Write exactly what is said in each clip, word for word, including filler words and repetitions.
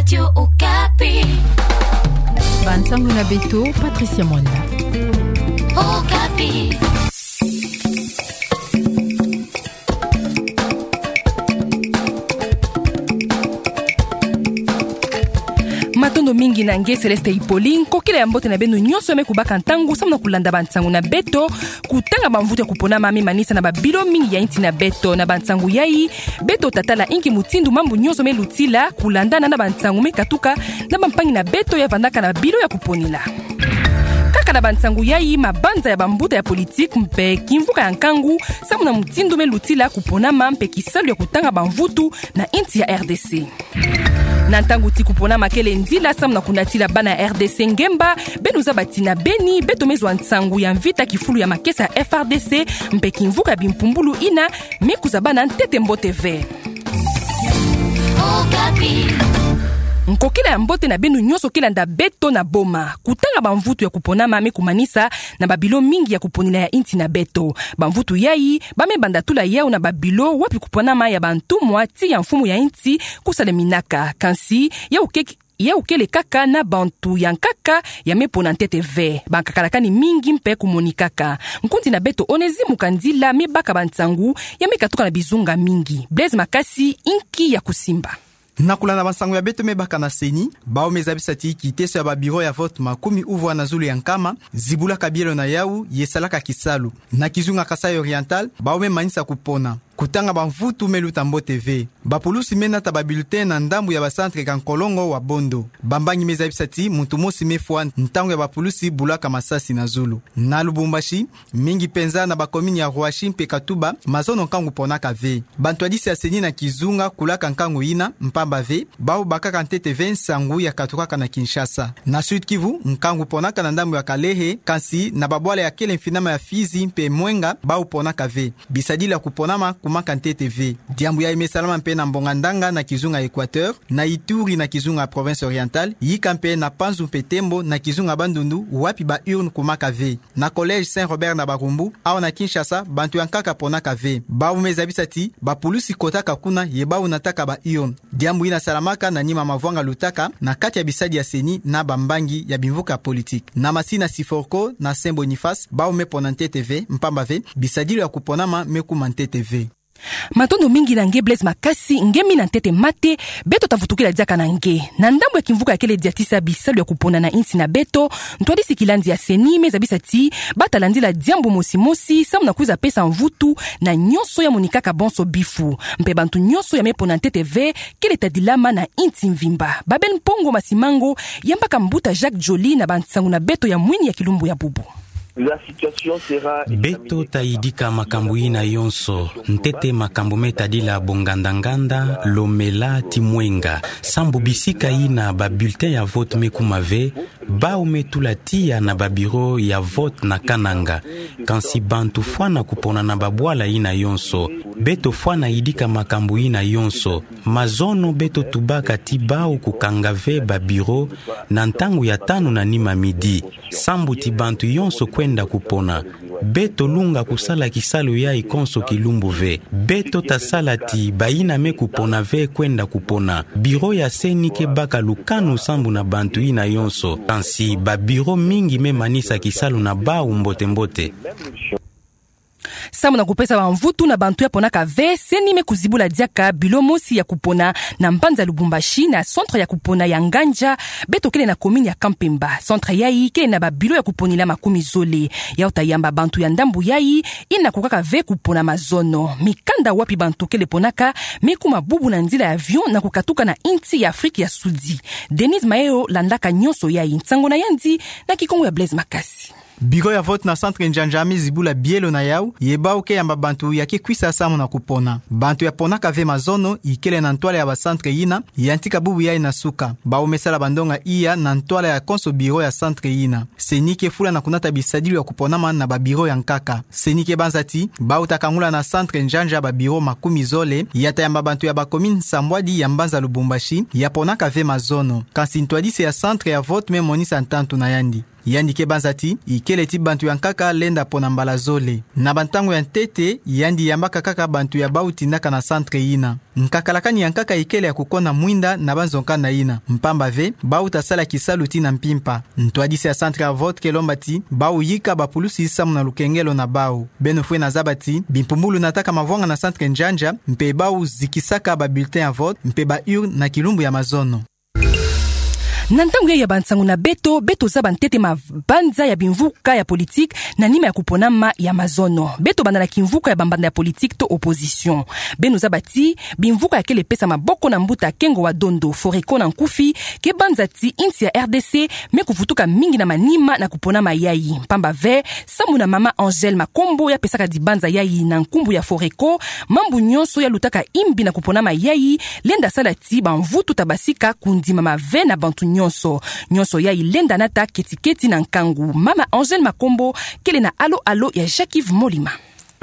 Radio Okapi. Bansangu na beto, Patricia Mwanda. Okapi. Matondo mingi na nge Céleste Hippolyte, nkokila ya mbote na beno nyonso ya me kubaka ntangu samu na kulanda bansangu na beto. Kutanga bamvutu ya kuponama me manisa na babilo mingi ya insi na beto. Na bansangu yai, beto tatala inki mutindu mambu nyonso me lutila, kulandana na bansangu me katuka na bampangi na beto ya vandaka na bilo ya kuponela. Kaka na bansangu yai, mabanza ya bambuta ya politiki mpe kimvuka ya nkangu samu na mutindu me lutila kuponama mpe kisalu ya kutanga bamvutu na insi ya R D C. Na ntangu ti kuponama kele nzila samu na kunatila bana ya R D C ngemba, beno zaba ti na beni beto me zwa nsangu ya mvita kifulu ya makesa ya F R D C mpe kimvuka ya bimpumbulu ina me kuzabana ntete mbote ve. Okapi. Nkokila ya mbote na beno nyonso ke landa beto na boma. Kutanga bamvutu ya kuponama me kumanisa na babilo mingi ya kuponela ya insi na beto. Bamvutu yai, ba me banda tula yau na babilo wapi kuponama ya bantumwa ti ya mfumu ya insi kusaleminaka. Kansi, yau ke- yau kele kaka na bantu ya nkaka ya me pona ntete ve. Bankakalakani mingi mpe kumonikaka. Nkundi na beto Onésime Kandila me baka bansangu ya me katuka na bizunga mingi. Blaise Makasi, inki ya kusimba. Na kulanda bansangu ya beto me baka na CENI, bau me zabisa ti kiteso ya babiro ya vote makumi uvwa na zulu ya nkama zibulaka bielo na yau ye salaka kisalu. Na kizunga Kasaï Oriental, bau me manisa kupona. Kutanga bamvutu me luta mbote ve. Bapulusi me nata babulletin na ndambu ya bacentre ka nkolongo wa Bondo. Bambangi me zabisa ti muntu mosi me fwa ntangu ya bapulusi bulaka masasi na zulu. Na Lubumbashi, mingi penza na bakomini ya Rouachi mpe Katuba, mazono nkangu ponaka ve. Bantwadisi ya CENI na kizunga kulaka nkangu ina, mpamba ve, bau bakaka ntete ve nsangu ya katukaka na Kinshasa. Na Sud-Kivu, nkangu ponaka na ndambu ya Kalehe, kansi na babwala ya kele mfinama ya Fizi mpe Mwenga, bau ponaka ve. Bisadilu ya kuponama kumaka ntete ve. Diambu yai me salama mpe na Mbonga Ndanga na kizunga Equateur, na Ituri na kizunga Province Orientale, yika mpe na Panzu mpe Tembo na kizunga Bandundu, wapi ba urne kumaka ve. Na Collège Saint Robert na Barumbu, awa na Kinshasa, bantu ya nkaka ponaka ve. Bau me zabisa ti bapulusi kotaka kuna ye bau nataka ba urne. Diambu ina salamaka na nima mavwanga lutaka na kati ya bisadi ya CENI na bambangi ya bimvuka ya politiki. Na Massy na Syforco na Saint Boniface, bau me pona ntete ve, mpamba ve, bisadilu ya kuponama me kuma ntete ve. Matondo mingi na nge Blaise Makasi, nge mina ntete mate, beto tavutukila diaka na nge. Na ndambu ya kimvuka ya kele diatisa bisalu ya kupona na insi na beto, ntwadisi kilandi ya CENI me zabisa ti bata landila diambu mosi mosi samu na kwiza pesa mvutu na nyonso ya monikaka bonso bifu. Mpe bantu nyonso ya me pona ntete ve, kele tadilama na insi mvimba. Babel Mpongo Masimango yambaka mbuta Jacques Joly na bansangu na beto ya mwini ya kilumbu ya bubu. Beto tayidika makambu ina yonso, ntete makambu me tadila bonganda-nganda, Lomela, ti Mwenga. Sambu bisika ina babulletin ya vote me kuma ve, bau me tula tiya na babiro ya vote na Kananga. Kansi bantu fwana kupona na babwala ina yonso. Beto fwana yidika makambu ina yonso. Mazono beto tubaka ti bau kukanga ve babiro na ntangu ya tanu na nima midi. Sambu ti bantu yonso kwenda kupona. Beto lunga kusala kisalu yai konso kilumbu ve. Beto tasala ti baina me kupona ve kwenda kupona. Biro ya CENI ke baka lukanu sambu na bantu ina yonso. Kansi babiro mingi me manisa kisalu na bau mbote-mbote. Samu na kupesa bamvutu na bantu ya ponaka ve, CENI me kuzibula diaka bilo mosi ya kupona na mbanza Lubumbashi, na centre ya kupona ya Ngandja, beto kele na commune ya Kampemba. Centre yai kele na babilo ya kuponila makumi zole. Yau tayamba bantu ya ndambu yai ina kukaka ve kupona mazono. Mikanda wapi bantu kele ponaka me kuma bubu na nzila ya avion na kukatuka na insi ya Afrique ya Sudi. Denise Maeo landaka nyonso yai, nsangu na yandi na Kikongo ya Blaise Makasi. Biro ya vote na centre Njanja me zibula bielo na yau, ye bau ke yamba bantu ya ke kwisa samu na kupona. Bantu ya ponaka ve mazono, ikele na ntwala ya ba centre yina, yantika bubu yai na suka. Bau me sala bandonga iya na ntwala ya konso biro ya centre yina. CENI ke fula na kunata bisadilu ya kuponama na babiro ya nkaka. CENI ke banza ti, bau ta kangula na centre Njanja babiro makumi zole, ya tayamba bantu ya ba commune nsambwadi ya mbanza Lubumbashi, ya ponaka ve mazono. Kansi ntwadisi ya centre ya vote me monisa ntantu na yandi. Yandi ke banza ti, ikele ti bantu ya nkaka lenda pona mbala zole. Na bantangu ya ntete, yandi yambaka kaka bantu ya bau tindaka na centre yina. Nkakalakani ya nkaka ikele ya kukonda mwinda na banzonka na yina. Mpamba ve, bau tasala kisalu ti na mpimpa. Ntwadisi ya centre ya vote ke lomba ti, bau yika bapulusi samu na lukengelo na bau. Beno fwene zaba ti, bimpumbulu nataka mavwanga na centre njanja, mpe bau zikisaka ba bulletin ya vote, mpe ba urne na kilumbu ya mazono. Na ntangu ya, ya bansangu na beto, beto zaba ntete mabanza ya bimvuka ya politique na nima ya kuponama ya mazono. Beto banda na kimvuka ya bambanza ya politique to opposition. Beno zaba ti, bimvuka ya kele pesa maboko na mbuta Kengo wa Dondo, Foreco na nkufi, ke banza ti insi ya R D C me kuvutuka mingi na manima na kuponama yayi. Mpamba ve, samu na mama Angèle Makombo ya pesaka dibanza yayi na nkumbu ya Foreco, mambu nyonso ya lutaka imbi na kuponama yayi, lenda sala ti bamvutu tabasika kundimama ve na bantu nyonso. Nyonso yayi lenda nata keti-keti na nkangu. Mama Angèle Makombo, kele na alo-alo ya Jacques-Yves Molima.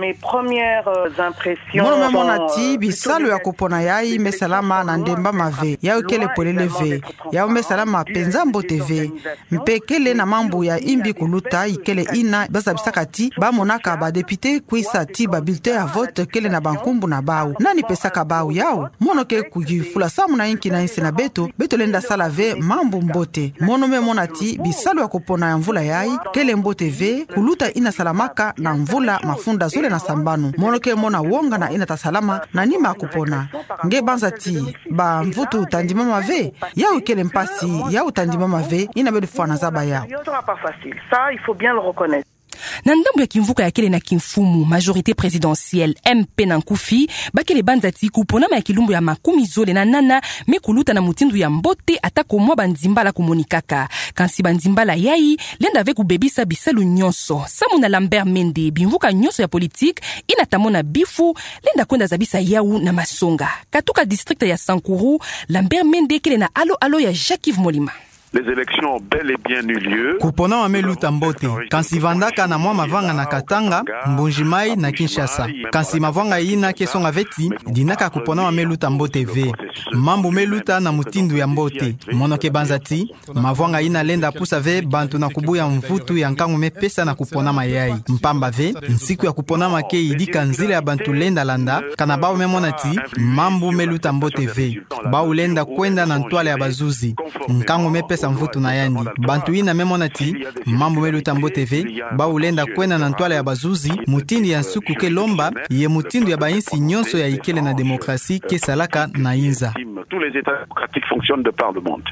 Mes premières, euh, impressions. Mono me mona ti, euh, bisalu ya kupona yayi me salama na ndemba mave. Yayi kele polele ve. Yayi me salama penza mbote ve. Mpe kele na mambu ya imbi kuluta, ikele ina ba zabisaka ti ba monaka ba député kwisa ti ba bulletin ya vote kele na bankumbu na bau. Nani pesaka bau yau? Mono ke kuyifula samu na inki na insi na beto, beto lenda sala ve mambu mbote. Mono me mona ti, bisalu ya kupona ya mvula yayi, kele mbote ve, kuluta ina salamaka na mvula mafunda zole na sambanu. Mono ke mona wonga na ina tasalama, na nima ya kupona. Nge banza ti, bamvutu tandimama ve, yau kele mpasi, yau tandimama ve, ina beto fwana zaba yau. Ça, il faut bien le reconnaître. Na ndambu ya kimvuka ya kele na kimfumu, majorité présidentielle, M P na nkufi, ba kele banza ti kuponama ya kilumbu ya makumi zole na nana, me kuluta na mutindu ya mbote atako mwa banzimbala kumonikaka. Kansi banzimbala yayi, lenda ve kubebisa bisalu nyonso. Samu na Lambert Mende, bimvuka nyonso ya politique, ina tamona bifu, lenda kwenda zabisa yau na masonga. Katuka district ya Sankuru, Lambert Mende kele na alo-alo ya Jacques-Yves Molima. Les élections ont bel et bien eu lieu. Kuponama me luta mbote, kansi vandaka na mwa mavanga na Katanga, Mbuji-Mayi na Kinshasa. Kansi mavanga ina ke songa ve ti, dinaka kuponama me luta mbote ve. Mambu me luta na mutindu ya mbote. Mono ke banza ti, mavanga ina lenda pusa ve bantu na kubuya mvutu ya nkangu me pesa na kuponama yayi. Mpamba ve, nsiku ya kuponama ke yidika nzila ya bantu lenda landa, kana bau me mona ti, mambu me luta mbote ve. Bau lenda kwenda na ntwala ya bazuzi. Nkangu me pesa mvutu na yandi. Bantu ina me mona ti, mambu me luta mbote ve, bau lenda kwenda na ntwala ya bazuzi, mutindu ya nsuku ke lomba, ye mutindu ya bainsi nyonso ya ikele na démocratie ke salaka na inza. Tous les États démocratiques fonctionnent de par le monde.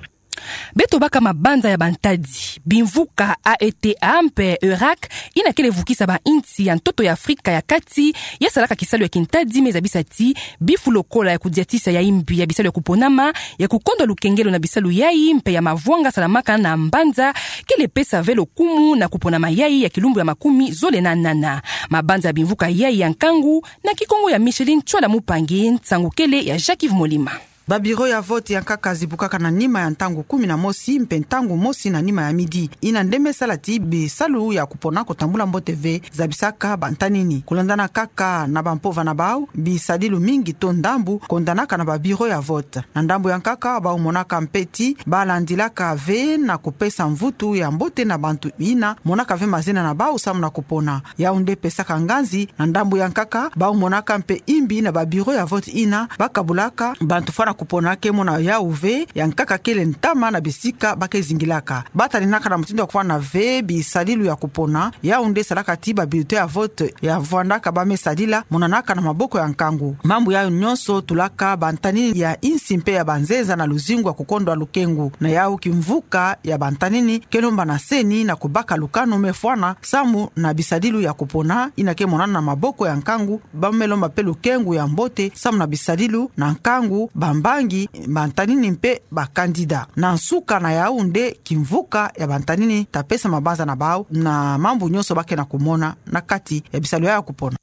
Beto baka mabanza ya bantadi. Bimvuka A E T A mpe Eurac, ina kele vukisa bainsi ya ntoto ya Afrika ya kati, ya salaka kisalu ya kintadi me zabisa ti, bifu lokola ya kudiatisa ya imbi ya bisalu ya kuponama, ya kukondwa lukengelo na bisalu yayi, mpe ya mavwanga salamaka na mbanza, kele pesa ve lokumu na kuponama yayi ya kilumbu ya makumi zole na nana. Mabanza ya bimvuka yayi ya nkangu, na Kikongo ya Micheline Tchwala Mupangi, nsangu kele ya Jacques-Yves Molima. Ba bureau ya vote ya nkaka zibukaka na nima ya ntangu kumi na mosi, mpe ntangu mosi na nima ya midi. Ina nde me sala ti bisalu ya kupona kutambula mbote ve zabisaka bantanini. Kulandana kaka na bampova na bau, bisadilu mingi to ndambu kondanaka na ba bureau ya vote. Na ndambu ya nkaka, bau monaka mpe ti balandilaka ve na kupesa mvutu ya mbote na bantu ina monaka ve mazina na bau samu na kupona. Yau nde pesaka nganzi, na ndambu ya nkaka, bau monaka mpe imbi na ba bureau ya vote ina bakabulaka bantu fwana kupona ke mona yau ve, ya nkaka kele ntama na bisika ba ke zingilaka. Bataninaka na mutindu ya kufwana ve bisadilu ya kupona, yau nde salaka ti ba bulletin ya vote ya vandaka ba me sadila, monanaka na maboko ya nkangu. Mambu yau nyonso tulaka bantanini ya insi mpe ya banzenza na luzingu ya kukondwa lukengu. Na yau kimvuka ya bantanini ke lomba na CENI na kubaka lukanu me fwana samu na bisadilu ya kupona, ina ke monana na maboko ya nkangu, ba me lomba mpe lukengu ya mbote samu na bisadilu na nkangu, bambangi, bantanini mpe ba candidat. Na nsuka na yau nde kimvuka ya bantanini ta pesa mabanza na bau na mambu nyonso ba ke na kumona na kati ya bisalu ya kupona.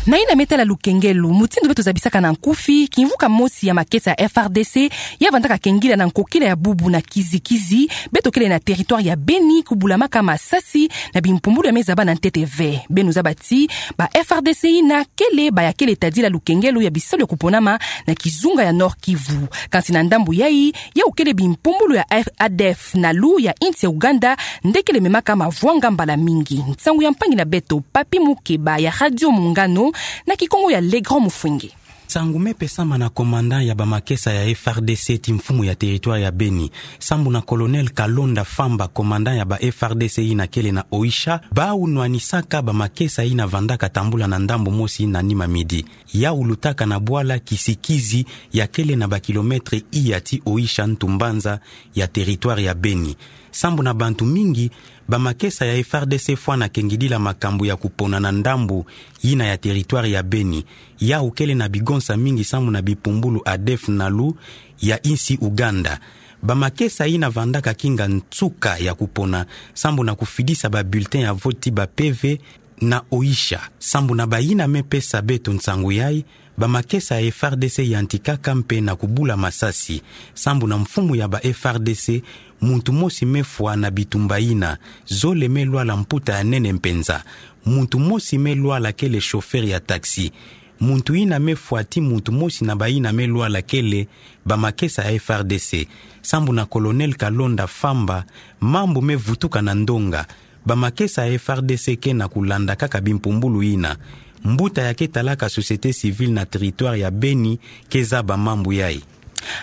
Na ina me tala lukengelo, mutindu beto zabisaka na nkufi, kimvuka mosi ya makesa ya F R D C ya vandaka kengila na nkokila ya bubu na kizikizi, beto kele na territoire ya Beni, kubulamaka masasi na bimpumbulu ya mezaba na ntete ve. Beno zaba ti ba F R D C ina kele ba ya kele tadila lukengelo ya bisalu ya kuponama na kizunga ya Nord-Kivu. Kansi na ndambu yayi, yau kele bimpumbulu ya F-, A D F Nalu ya insi ya Ouganda nde kele memaka mavwanga mbala mingi. Nsangu ya mpangi na beto, Papy Mukeba ya Radio Muungano, na kikongo ya Le Grand Mufwenge. Nsangu me pesama na commandant ya ba makesa ya F R D C ti mfumu ya territoire ya Beni, sambu na Colonel Kalonda Famba, commandant ya ba F R D C ina kele na Oicha, bau nwanisaka ba makesa ina vandaka tambula na ndambu mosi na nima midi. Yau lutaka na bwala kisikizi ya kele na ba kilomètre iya ti Oicha, ntu mbanza ya territoire ya Beni. Sambu na bantu mingi, ba makesa ya F R D C fwana kengidila makambu ya kupona na ndambu ina ya territoire ya Beni. Yau kele na bigonsa mingi sambu na bimpumbulu A D F Nalu ya insi Ouganda. Ba makesa ina vandaka kinga nsuka ya kupona sambu na kufidisa ba bulletin ya vote ti ba P V na Oicha. Sambu na ba ina me pesa beto nsangu yayi, ba makesa ya F R D C yantikaka mpe na kubula masasi. Sambu na mfumu ya ba F R D C, muntu mosi me fwa na bitumba ina, zole me lwala, mputa ya nene mpenza. Muntu mosi me lwala kele chauffeur ya taxi. Muntu ina me fwa ti muntu mosi na ba ina me lwala kele ba makesa ya F R D C. Sambu na Colonel Kalonda Famba, mambu me vutuka na ndonga. Ba makesa ya F R D C ke na kulanda kaka bimpumbulu ina. Mbuta ya ke talaka société civile na territoire ya Beni ke zaba mambu yayi.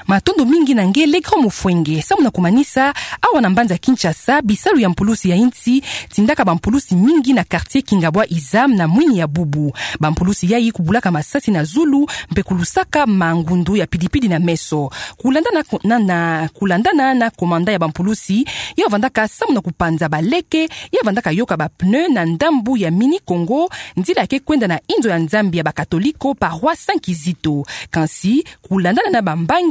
Matondo mingi na nge Le Grand Mufwenge. Sambu na kumanisa, awa na mbanza Kinshasa, bisalu ya mpulusi ya insi tindaka ba mpulusi mingi na quartier Kingabwa Isam na mwini ya bubu. Ba mpulusi yayi kubulaka masasi na zulu, mpe kulusaka mangundu ya pidipidi na meso. Kulandana ku-, na, na, kulandana na commandant ya ba mpulusi, yau vandaka sambu na kupanza ba leke, yau vandaka yoka ba pneu na ndambu ya Mini Congo, nzila ya ke kwenda na inzo ya Nzambi ya ba Katoliko, paroisse Saint Kizito. Kansi, kulandana na bambangi,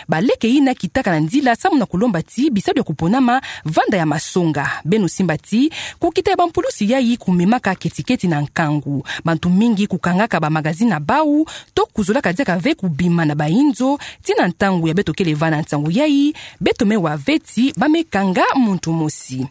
ba leke ina kitaka na nzila sambu na kulomba ti bisalu ya kuponama vanda ya masonga. Beno simba ti, kukita ya ba mpulusi yayi kumemaka ketiketi na nkangu. Bantu mingi kukangaka ba magazine na bau, to kuzolaka diaka ve kubima na ba inzo, ti na ntangu ya beto kele vanda nsangu yayi, beto me wa ve ti ba me kanga muntu mosi.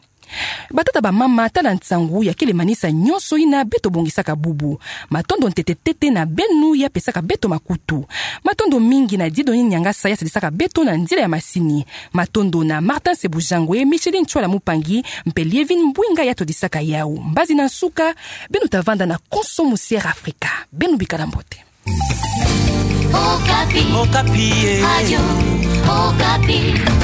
Batata, bamama, tala nsangu ya kele manisa nyonso ina beto bongisaka bubu. Matondo ntete-tete na beno ya pesaka beto makutu. Matondo mingi na Dieudonné Niangasa ya sadisaka beto na nzila ya masini. Matondo na Martin Sebujangwe, Micheline Chwala Mupangi, mpe Lievine Mbwinga ya todisaka yau. Mbazi na nsuka, beno ta vanda na konso mu Sierra Africa. Beno bikala mbote. Okapi. Okapi, eh. Radio Okapi.